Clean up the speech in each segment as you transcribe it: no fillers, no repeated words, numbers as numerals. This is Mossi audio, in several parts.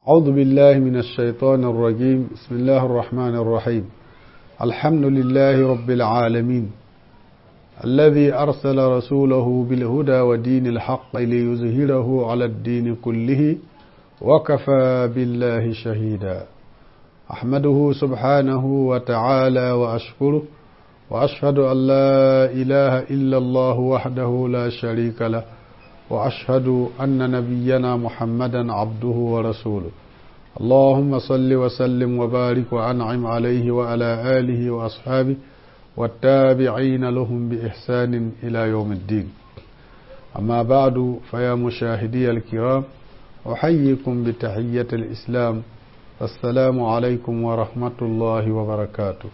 أعوذ بالله من الشيطان الرجيم. بسم الله الرحمن الرحيم. الحمد لله رب العالمين الذي أرسل رسوله بالهدى ودين الحق ليظهره على الدين كله وكفى بالله شهيدا. أحمده سبحانه وتعالى وأشكره، وأشهد أن لا إله إلا الله وحده لا شريك له، وأشهد أن نبينا محمدا عبده ورسوله. اللهم صل وسلم وبارك وأنعم عليه وعلى آله وأصحابه والتابعين لهم بإحسان إلى يوم الدين. أما بعد، فيا مشاهدي الكرام، أحييكم بتحية الإسلام: السلام عليكم ورحمة الله وبركاته.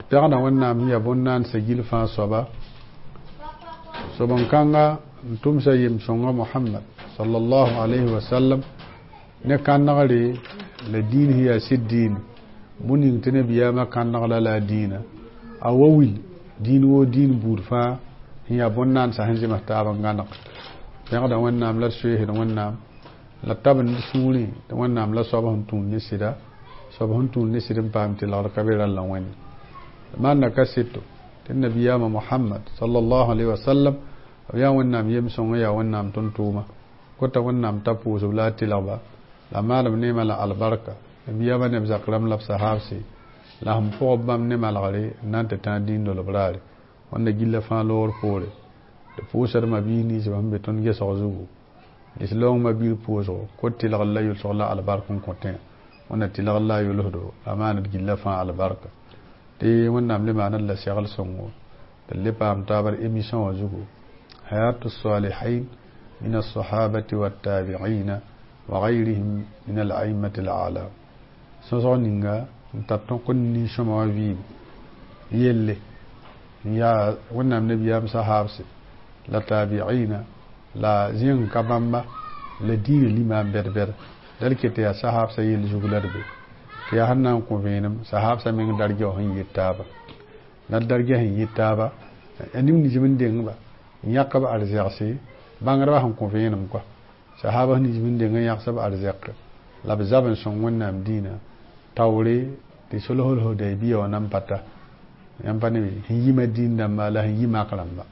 Pɛgda Wẽnnaam yaa bõn-naandsã gill fãa soaba soben-kãnga n tʋmsa yem-sõnga Mohamad sallallahu alayhi wa sallam ne kãnegre la dĩin sẽn yaa sɩd dĩin bũn ning tɩ nabiyaamã kãnegla la a dĩinã a wa wil dĩin woo dĩin buud fãa sẽn yaa bõn-naandsã sẽn zems taab n gãneg. Pẽgda Wẽnnaam la d soeesd Wẽnnaam la tab n d sũurẽ tɩ Wẽnnaam la soab sẽn tũud ne sɩda soab sẽn tũud ne sɩd n paam tɩlgr ka be rall Wẽnd maanda kaseto tɩ nabiyaamã Mohamad sallallahu alayhi wa sallam b yaa Wẽnnaam yem-sõngã, yaa Wẽnnaam tʋm-tʋʋma kota Wẽnnaam t'a pʋʋsb la a tɩlgba la maalem neemã la albarka nabiyaamã neb zak rãmb la b sahaabse la sẽn pʋgb bãmb ne malgre n na n tɩ tãag dĩin dolb raare wãnda gilla fãa loogr poore. Tɩ pʋʋsdmã biis ninsbã sẽn be tõnd gesg zugu lislaoong ma-biir pʋʋsgo kot tɩlgr la yʋlsg la albark n kõ tẽa wãnda tɩlgr la a yʋlsdo la maand gilla fãa albarka tɩ Wẽnnaam le maanad la segl sõngo tɩ le paam taabr émission wã zugu hayatu salihin min alsahabati wattabiina wa gayrihim min alaimati alalam. Sõsg ninga n tar tõk n nin-sõma wã vɩɩm yelle n yaa Wẽnnaam nabiyaam sahaabse la tabiina la zẽng ka bãmba la dĩinã lima n bɛd-bɛd dal ket yaa sahaabsã yell zug la d be tɩ yaa sẽn na n kõ vẽenem sahaabsã meng dargɛ sẽn yet taaba la dargɛ sẽn yet taaba a neb nins n dengba n yãk b arzɛgse bãngdbã sẽn kõ vẽenem kɔa sahaaba nins n deng n yãgs b arzɛk la b zab n sõng Wẽnnaam dĩinã taoore tɩ sulhul Hudaybiya wã nan pa ta yãmb pa ne sẽn yi Madĩn dãmba la sẽn yi Mak rãmba.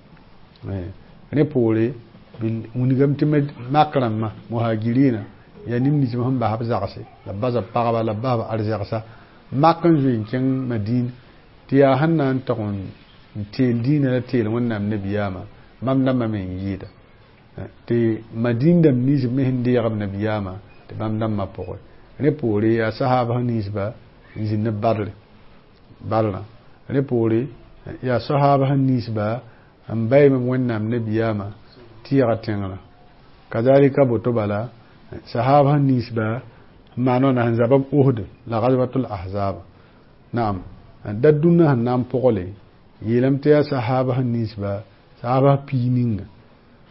Rẽ poore wilgame tɩ Mak rãmbã muhajirina yaa neb nins sẽn bas b zagse la b bas b pagba la b bas b arzɛgsa mak n zoe n kẽng Madĩn tɩ yaa sẽn na n tog n teel dĩinã la teel Wẽnnaam nabiyaamã bãmb dãmbã me n yɩɩda tɩ Madĩn dãmb ninsb me sẽn deeg b nabiyaamã tɩ bãmb dãmbã pʋgẽ. Rẽ poore yaa sahaabs ninsba n zĩnd Badre badrã. Rẽ poore yaa sahaabs ninsba n baym Wẽnnaam nabiyaamã tɩɩga tẽngrã kazalika boto bala sahaba ninsba n maan wãna sẽn zaba b Uhd la Gazwatul Ahzab naam da dũnna sẽn na n pʋgle yeelame tɩ yaa sahaba ninsba sahaba pii ninga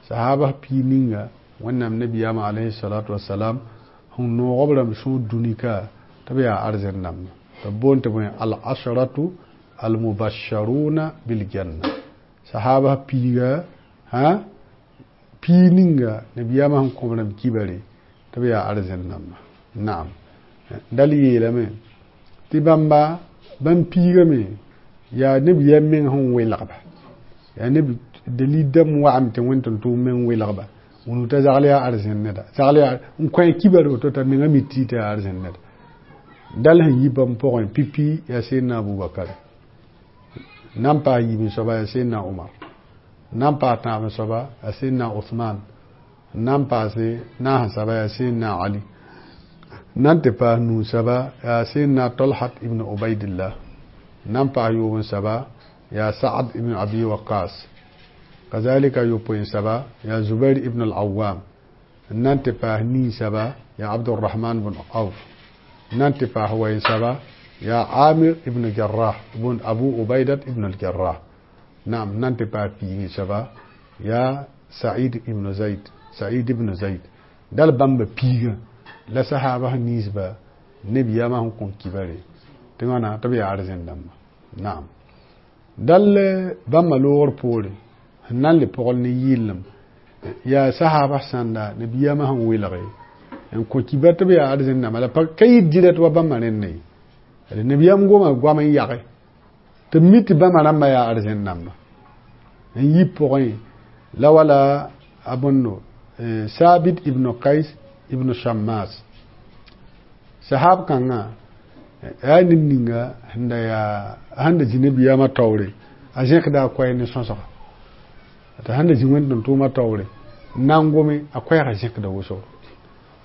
sahaba pii ninga Wẽnnaam nabiyaamã alayhi salatu wasalam sẽn noog b rãmb sũur dũnika tɩ b yaa arzẽn dãmba tɩ b boond tɩ bõe al ashratu almubasharuna biljanna sahaba piiga hã pii ninga nabiyaamã sẽn kõ b rãmb kibare tɩ b yaa arzẽn dãmba naam dal yeelame tɩ bãmba bãmb piigame yaa nabiyaam meng sẽn welgba yaa neb dalil dãmb wa'ame tɩ wẽn tʋm-tʋʋm meng welgba wũnu t'a zagl yaa arzẽn neda zagl yaa n kõ kibar woto t'a menga mi tɩ tɩ yaa arzẽn neda dal sẽn yi bãmb pʋgẽ pipi yaa Sẽdna Abubakar nan paas yiib soaba yaa Sẽdna Omar nan paas tãab soaba yaa Sẽdna Osman nan paase naas saba yaa Sẽdna Ali nan tɩ paas nuu saba yaa Sẽdna Tolhat ibn Ubaidillah nan paas yoob n saba yaa Saad ibn Abi Waqas kazalika yopoe n saba yaa Zubair ibn al-Awwam nan tɩ paas nii saba yaa Abdurrahman bn Auf nan tɩ paas wayn saba yaa Amir ibn Jarrah ibn Abu Ubaidat ibn al-Jarrah naam nan tɩ paas piigi saba yaa Said ibn Zaid Said ibn Zaid dal bãmba piigã la sahaba ninsba nabiyaamã sẽn kõ kibare tɩ wãna tɩ b yaa arzẽn dãmba naam dal bãmba loogr poore sẽn na n le pʋgl ne yɩɩlem yaa sahaba sãnda nabiyaamã sẽn welge. N kõ kibar tɩ b yaa arzẽn dãmba la pa ka yɩ direct wa bãmba rẽnda ye. D nabiyaam goma goam n yage tɩ b mi tɩ bãmba rãmbã yaa arzẽn dãmba n yi pʋgẽ la wala a bõndo Sabit ibn Qais ibn Shammas. Sahab kãngã yaa ned ninga sẽn da yaa sẽn da zĩ nabiyaamã taoore a zẽkda a koɛɛ ne sõsga t'a sẽn da zĩ wẽnd-tʋm-tʋʋmã taoore n na n gome a koɛɛgã zẽkda wʋsgo.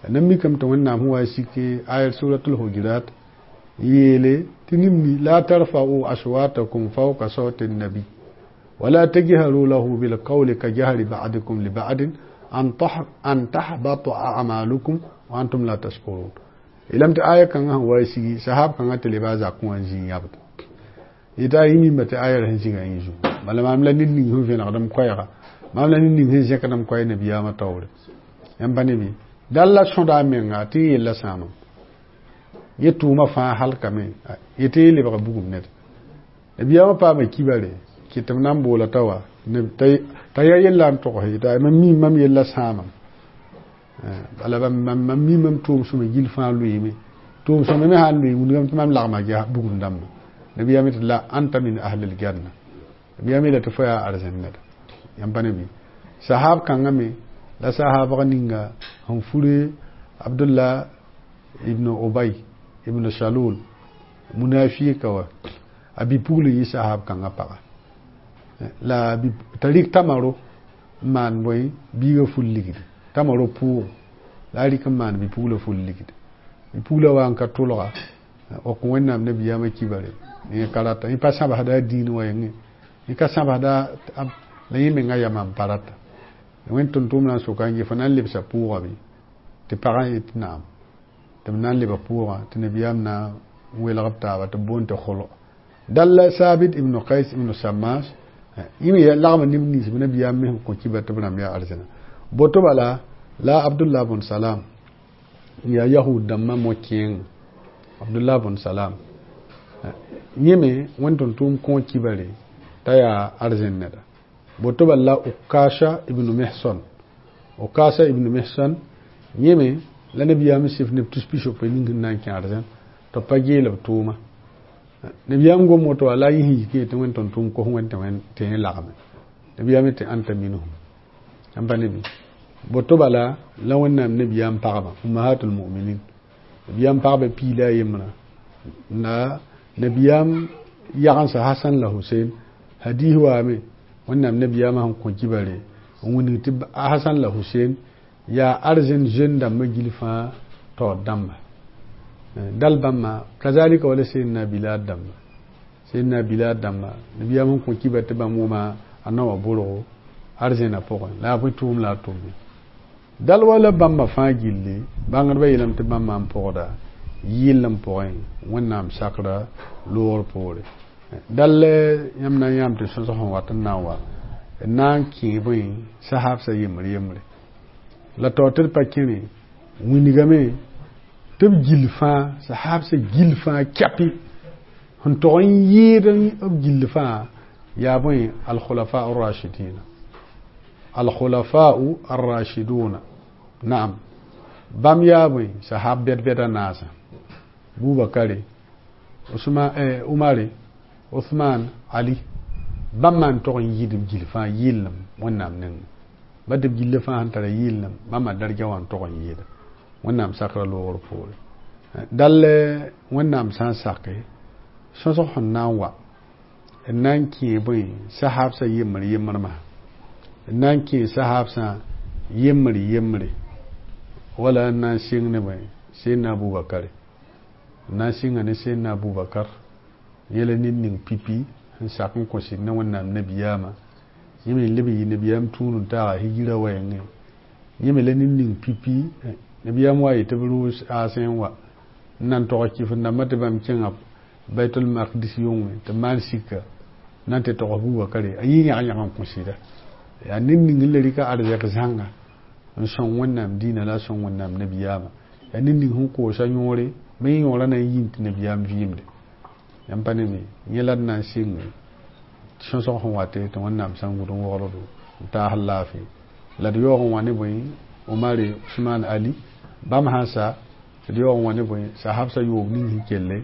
Na mikame tɩ Wẽnnaam sẽn wa sike ayat suratul Hujurat yeele tɩ nimni la tarfa'u aswatakum fawqa sawti an-nabi wala tajharu lahu bil qawli ka jahri ba'dikum li ba'din an tahbata a'malukum wa antum la tashkurun. Yeelame tɩ aya kãngã sẽn wa sigi sahab kãngã tɩ leba a zakẽ wã n zĩ n yãbd yetɩ a yẽ mimba tɩ aya sẽn zĩga yẽ zugu bala maam la ned ning sẽn vẽnegd m koɛɛga maam la ned ning sẽn zẽkd m koɛɛ nabiyaamã taoore yãmb pa ne bɩ dal la sõda a menga tɩ yẽ yella sãamam yẽ tʋʋmã fãa halkame yetɩ yẽ lebga bugum ned nabiyaamã paama kibare kɩ tɩ b na n boola t'a wa t'a yaa yella n togs yetɩ mam mi mam yella sãamam bala mam mi mam tʋʋm sõma gill fãa loeeme tʋʋm sõma me sã n loe wingame tɩ mam lagma bugum dãmba nabiyaam tɩ la anta min ahlil janna nabiyaam yeela tɩ fo yaa arzẽn neda yãmb pa ne bɩ sahab kãngã me la sahabg ninga sẽn fure Abdullah ibn Ubay ibn Salul munafika wa a bi-pugl n yɩ sahab kãngã paga la t'a rɩk tamaro n maan bõe biigã ful ligdi tamaro pʋʋgo la a rɩk n maan bi-puglã ful ligdi bi-puglã wa n ka tʋlga wak Wẽnnaam nabiyaamã kibare yẽ ka rata yẽ pa sãbsda a dĩin wa yẽngẽ yẽ ka sãbsda la yẽ menga yama n pa rata wẽnd tʋm-tʋʋm na n soka n yɩ fo na n lebsa pʋʋga bɩ tɩ pagã yet naam tɩ b na n lebg pʋʋgã tɩ nabiyaam na n welg b taaba tɩ b boond tɩ kholo dal la Sabit ibn Qais ibn Shammas yẽ me lagma neb nins b nabiyaam me sẽn kõ kibar tɩ b rãmb yaa arzẽna boto bala la Abdullah bn Salam n yaa yahud dãmbã mo-kẽeng Abdullah bn Salam yẽ me wẽnd tʋm-tʋʋm kõ kibare t'a yaa arzẽn neda boto bala la Ukasha ibn Mihsan Ukasha ibn Mihsan yẽ me la nabiyaam sɩf neb tus pisopoe ning sẽn na n kẽ arzẽn tɩ b pa geel b tʋʋma nabiyaam gom woto wa la a yẽ sẽn yik yetɩ wẽnd tʋm-tʋʋm kos wẽnd tɩ yẽ lagme nabiyaam tɩ anta minhum yãmb pa ne bɩ boto bala la Wẽnnaam nabiyaam pagba ummahatul mu'minin nabiyaam pagba piila a yembrã la nabiyaam yagensa Hasan la Husein hadis waame Wẽnnaam nabiyaamã sẽn kõ kibare n wilg tɩ Hasan la Husein yaa arzẽn jeune dãmbã gill fãa taoor dãmba dal bãmba kazalika wala Seydina Bilal dãmba Seydina Bilal dãmba nabiyaam sẽn kõ kibar tɩ bãmb wʋma a naoã borgo arzẽnã pʋgẽ la a bõe tʋʋm la a tʋme dal wala bãmba fãa gilli bãngdbã yeelame tɩ bãmba n pʋgda yɩll n pʋgẽ Wẽnnaam sakra loogr poore dal yãmb na n yãam tɩ sõsg sẽn wat n na n wa n na n kẽ bõe sahabsã yembr yembre la taoor tɩ d pa kẽne wingame tɩ b gill fãa sahabsã gill fãa kɛpɩ sẽn tog n yɩɩd b gill fãa yaa bõe al-khulafa ar-rashidina al-khulafa ar-rashiduna naam bãmb yaa bõe sahab bɛd-bɛda naasã Bubakare Usman Umare Uthman Ali bãmb maan tog n yɩɩd b gill fãa yɩɩlem Wẽnnaam nengẽ ba tɩ b gilla fãa sẽn tara yɩɩlem bãmba darja wã n tog n yɩɩda Wẽnnaam sakra loogr poore dal Wẽnnaam sã n sake sõsg sẽn na n wa n na n kẽ bõe sahabsã yembr yembrmã n na n kẽ sahabsã yembr yembre wala n na n sɩng ne bõe Seydina Abubakare n na n sɩnga ne Seydina Abubakar yẽ la ned ning pipi sẽn sak n kõ sɩd ne Wẽnnaam nabiyaamã yẽ me leb n yɩ nabiyaam tũud n taaga hijira wɛɛngẽ yẽ me la ned ning pipi nabiyaam wa yetɩ b rʋʋs aasẽ n wa n na n tog kɩf n dãmbã tɩ bãmb kẽnga Baitul Maqdis yʋngẽ tɩ maan sika na n tɩ tog Abubakare a yɩ yãg-yãg n kõ sɩda yaa ned ning n la rɩka arzɛk zãnga n sõng Wẽnnaam dĩinã la a sõng Wẽnnaam nabiyaamã yaa ned ning sẽn koosa yõore me yõorã na n yĩn tɩ nabiyaam vɩɩmde yãmb pa ne bɩ yẽ la d na n sɩnge sõsg sẽn wate tɩ Wẽnnaam sã n gʋd n wogl do n taas laafɩ la d yaoog n wa ne bõe Umare Usman Ali Bãmb sãn sa tɩ d yaoog n wa ne bõe sahabsã yoob ning sẽn kelle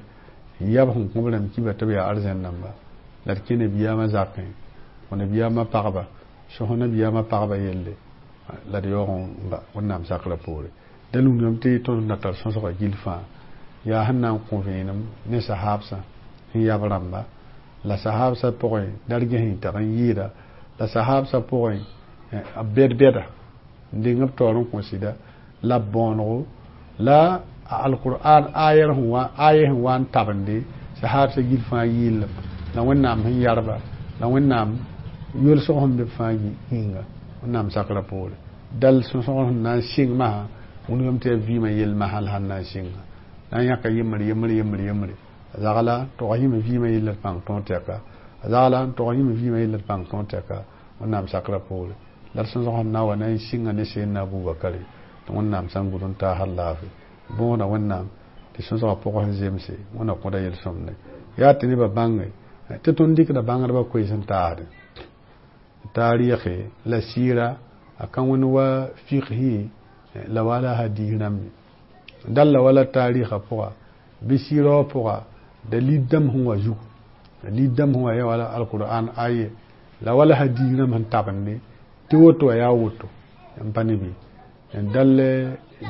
n yab sẽn kõ b rãmb kiba tɩ b yaa arzãn dãmba la d kẽ nabiyaamã zakẽ kõ nabiyaamã pagba sõs nabiyaamã pagba yelle la d yaoog n ba Wẽnnaam sakrã poore da lungame tɩ tõnd na tar sõsgã gill fãa yaa sẽn na n kõ vẽenem ne sahabsã sẽn yab rãmba la sahabsã pʋgẽ dargẽ sẽn tag n yɩɩda la sahabsã pʋgẽ bɛd-bɛda n deng b taoor n kõ sɩda la b bõonego la alqur'an aya sẽn wa n tabende sahabsã gill fãa yɩɩlem la Wẽnnaam sẽn yarba la Wẽnnaam yolsg sẽn be b fãa yĩnga Wẽnnaam sakrã poore dal sõsg sẽn na n sɩng masã wilgame tɩ yaa vɩɩmã yell masã la sẽn na n sɩnga na n yãka yembre yembre yembre yembre a zagla n tog yĩme vɩɩmã yell d pãng tõog tɛka a zagla n tog yĩme vɩɩmã yell d pãng tõog tɛka Wẽnnaam sakrã poore la d sõsg sẽn na wa na n sɩnga ne Seydna Abubakare tɩ Wẽnnaam sã n gʋd n taasd laafɩ bõoda Wẽnnaam tɩ sõsgã pʋgẽ sẽn zemse Wẽnna kõda yel-sõmde yaa tɩ nebã bãnge tɩ tõnd dɩkda bãngdbã koees n taasde taarɩɩge la sɩɩra a ka wẽnd wa fiqhi la wala hadis rãmb ye dal la wala taarɩɩgã pʋga bɩ sɩɩra wã pʋga dalil dãmb sẽn wa zugu dalil dãmb sẽn wa yaa wala alqur'an aye la wala hadis rãmb sẽn tabende tɩ woto wa yaa woto n pa ne bɩ dal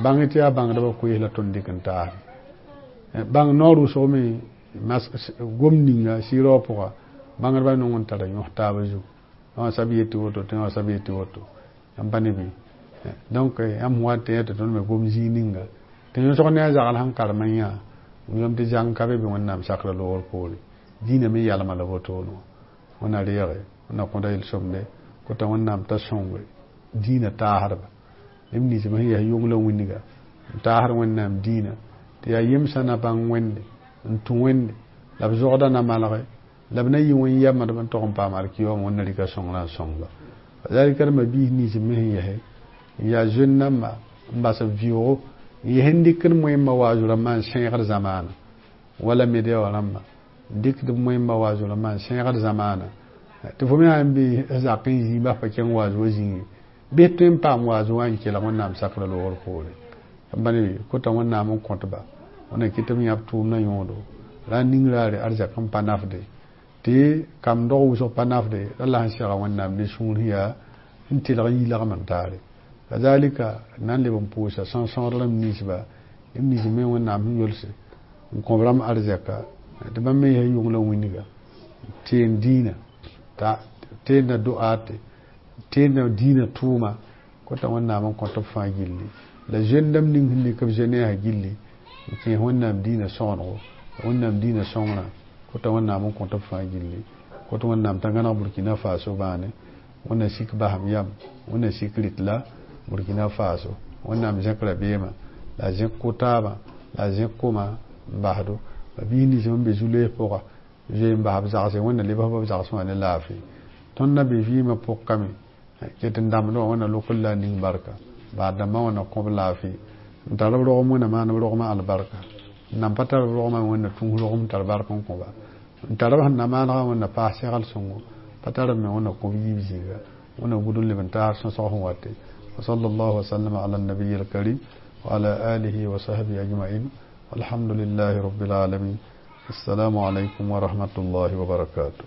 bãng tɩ yaa bãngdbã koees la tõnd dɩk n taasde bãng noor wʋsg me gom ninga sɩɩra wã pʋga bãngdbã nong n tara yõs taabã zugu wã sab yetɩ woto tɩ wã sab yetɩ woto n pa ne bɩ donc yãmb wa tɩ yã tɩ tõnd me gom zĩig ninga tɩ yõsg ne a zagl sẽn karem n yã wilgame tɩ zãng ka be bɩ Wẽnnaam sakrã loogr poore dĩinã me yalma la wotone wã Wẽnna reege Wẽnna kõda yel-sõmde kota Wẽnnaam t'a sõnge dĩinã taasdba neb nins sẽn yaa yong la wĩnga n taasd Wẽnnaam dĩinã tɩ yaa yemsã na bãng Wẽnde n tũ Wẽnde la b zogda na malge la b na yɩ wẽn yamdb n tog n paam alkiyooma Wẽnna rɩka sõngrã n sõngba kazalika d ma-biis nins me sẽn yɛse n yaa zoen dãmba n bas b vɩʋʋgo n yɛs n dɩkd moẽmbã waazu rãmbã n sẽegd zamaana wala media wã rãmba n dɩkd moẽmbã waazu rãmbã n sẽegd zamaana tɩ fo me sã n be zak n zĩig bas pa kẽng waazu wã zĩnge bɩ tõe n paam waazu wã n kelg Wẽnnaam sakrã loogr poore b pa ne kota Wẽnnaam n kõtba Wẽnna kɩt b yãb tʋʋmdã yõodo ra n ning raare arzɛk n pa nafde tɩ kam dog wʋsg pa nafde ra la sẽn sega Wẽnnaam ne sũur sẽn yaa n tɩlg n yilgem n taare kazalika na n leb n pʋʋsa sõsõod rãmb ninsba neb nins me Wẽnnaam sẽn yolse n kõ b rãmb arzɛka tɩ bãmb me yaa yong la wĩnga teen dĩinã teenda do'aate teenda dĩinã tʋʋma kota Wẽnnaam n kõt b fãa gilli la zoen dãmb ning sẽn lik b zoe-neesã gilli n kẽes Wẽnnaam dĩinã sõgenego Wẽnnaam dĩinã sõngrã kota Wẽnnaam n kõt b fãa gilli kot Wẽnnaam t'a gãneg Burkina Faso bãane Wẽnna sik basem yam Wẽnna sik rɩt la Burkina Faso Wẽnnaam zẽk rabeemã la a zẽk ko-taabã la a zẽk koma n basdo ba-biis nins n be zu-loees pʋga zoe n bas b zagse Wẽnna lebs b zagsẽ wã ne laafɩ tõnd na be vɩɩmã pʋg kame ket n dãmbd wã Wẽnna lʋkr la a ning barka baad dãmbã Wẽnna kõ b laafɩ n tar b rogem Wẽnna maan b rogmã albarka n nan pa tar b rogmã Wẽnna tũus rogem tar bark n kõ ba n tar b sẽn na maanegã Wẽnna paas segl sõngo pa tar b me Wẽnna kõ b yiib zĩiga Wẽnna gʋd n leb n taas sõsg sẽn wate وصلى الله وسلم على النبي الكريم وعلى آله وصحبه أجمعين والحمد لله رب العالمين السلام عليكم ورحمة الله وبركاته.